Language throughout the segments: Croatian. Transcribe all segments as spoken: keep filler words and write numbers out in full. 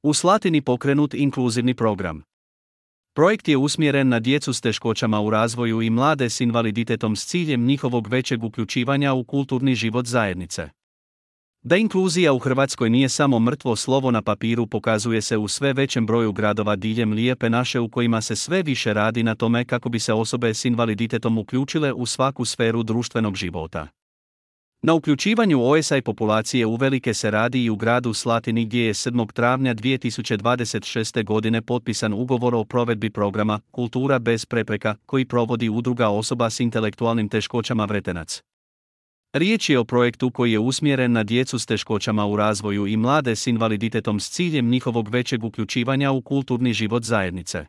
U Slatini pokrenut inkluzivni program. Projekt je usmjeren na djecu s teškoćama u razvoju i mlade s invaliditetom s ciljem njihovog većeg uključivanja u kulturni život zajednice. Da inkluzija u Hrvatskoj nije samo mrtvo slovo na papiru pokazuje se u sve većem broju gradova diljem Lijepe naše u kojima se sve više radi na tome kako bi se osobe s invaliditetom uključile u svaku sferu društvenog života. Na uključivanju O S I populacije uvelike se radi i u gradu Slatini gdje je sedmog travnja dvije tisuće dvadeset šeste. godine potpisan ugovor o provedbi programa Kultura bez prepreka koji provodi udruga osoba s intelektualnim teškoćama Vretenac. Riječ je o projektu koji je usmjeren na djecu s teškoćama u razvoju i mlade s invaliditetom s ciljem njihovog većeg uključivanja u kulturni život zajednice.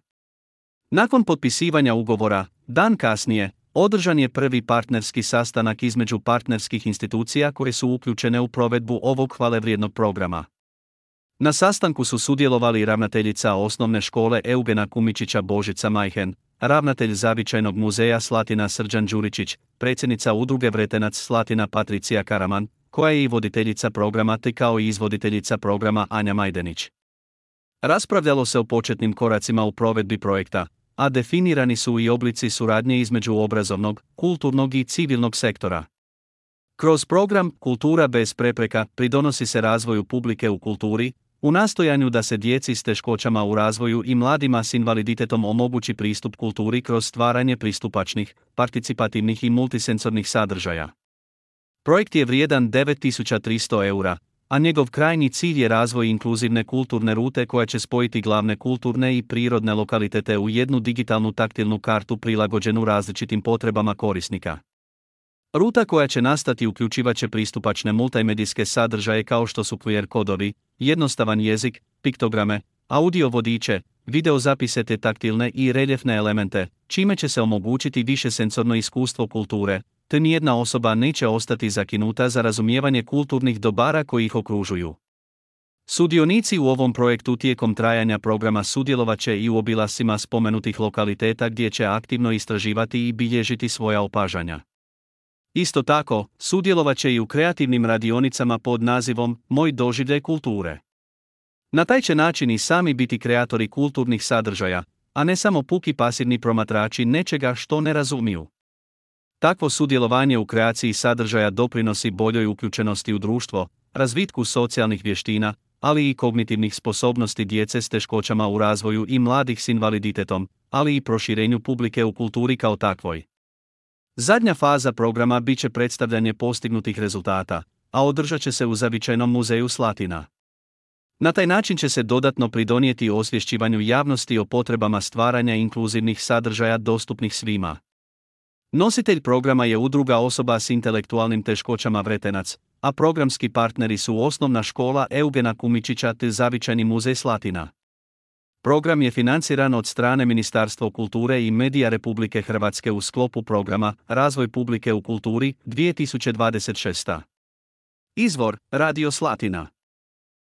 Nakon potpisivanja ugovora, dan kasnije, održan je prvi partnerski sastanak između partnerskih institucija koje su uključene u provedbu ovog hvalevrijednog programa. Na sastanku su sudjelovali ravnateljica osnovne škole Eugena Kumičića Božica Majhen, ravnatelj Zavičajnog muzeja Slatina Srđan Đuričić, predsjednica udruge Vretenac Slatina Patricija Karaman, koja je i voditeljica programa te kao i izvoditeljica programa Anja Majdenić. Raspravljalo se o početnim koracima u provedbi projekta, a definirani su i oblici suradnje između obrazovnog, kulturnog i civilnog sektora. Kroz program Kultura bez prepreka pridonosi se razvoju publike u kulturi, u nastojanju da se djeci s teškoćama u razvoju i mladima s invaliditetom omogući pristup kulturi kroz stvaranje pristupačnih, participativnih i multisensornih sadržaja. Projekt je vrijedan devet tisuća tristo eura, a njegov krajnji cilj je razvoj inkluzivne kulturne rute koja će spojiti glavne kulturne i prirodne lokalitete u jednu digitalnu taktilnu kartu prilagođenu različitim potrebama korisnika. Ruta koja će nastati uključivaće pristupačne multimedijske sadržaje kao što su Q R kodovi, jednostavan jezik, piktograme, audio vodiče, video zapise te taktilne i reljefne elemente, čime će se omogućiti višesensorno iskustvo kulture, te nijedna osoba neće ostati zakinuta za razumijevanje kulturnih dobara koji ih okružuju. Sudionici u ovom projektu tijekom trajanja programa sudjelovat će i u obilascima spomenutih lokaliteta gdje će aktivno istraživati i bilježiti svoja opažanja. Isto tako, sudjelovat će i u kreativnim radionicama pod nazivom Moj doživljaj kulture. Na taj će način i sami biti kreatori kulturnih sadržaja, a ne samo puki pasivni promatrači nečega što ne razumiju. Takvo sudjelovanje u kreaciji sadržaja doprinosi boljoj uključenosti u društvo, razvitku socijalnih vještina, ali i kognitivnih sposobnosti djece s teškoćama u razvoju i mladih s invaliditetom, ali i proširenju publike u kulturi kao takvoj. Zadnja faza programa bit će predstavljanje postignutih rezultata, a održat će se u Zavičajnom muzeju Slatina. Na taj način će se dodatno pridonijeti osvješćivanju javnosti o potrebama stvaranja inkluzivnih sadržaja dostupnih svima. Nositelj programa je udruga osoba s intelektualnim teškoćama Vretenac, a programski partneri su osnovna škola Eugena Kumičića te Zavičajni muzej Slatina. Program je financiran od strane Ministarstva kulture i medija Republike Hrvatske u sklopu programa Razvoj publike u kulturi dvije tisuće dvadeset šesta. Izvor: Radio Slatina.